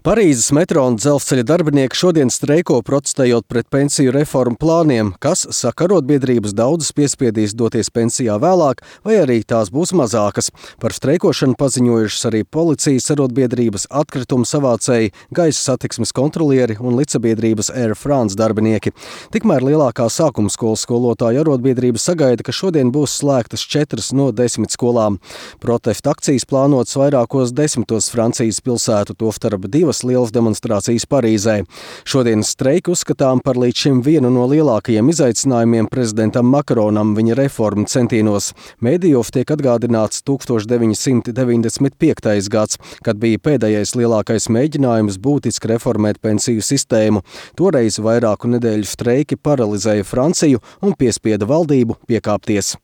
Parīzes metro un dzelzceļa darbinieki šodien streiko protestējot pret pensiju reformu plāniem, kas, saka arotbiedrības, daudzas piespiedīs doties pensijā vēlāk, vai arī tās būs mazākas. Par streikošanu paziņojušas arī policijas arotbiedrības, atkritumu savācēji, gaisa satiksmes kontrolieri un līdzsabiedrības Air France darbinieki. Tikmēr lielākā sākumskolas skolotāju arotbiedrība sagaida, ka šodien būs slēgtas 4 no 10 skolām. Protesta akcijas plānotas vairākos 10 Francijas pilsētu, tostarp 2 lielas demonstrācijas Parīzē. Šodienas streiku uzskatām par līdz šim vienu no lielākajiem izaicinājumiem prezidentam Makronam viņa reformu centienos. Mēdījos tiek atgādināts 1995. gads, kad bija pēdējais lielākais mēģinājums būtiski reformēt pensiju sistēmu. Toreiz vairāku nedēļu streiki paralizēja Franciju un piespieda valdību piekāpties.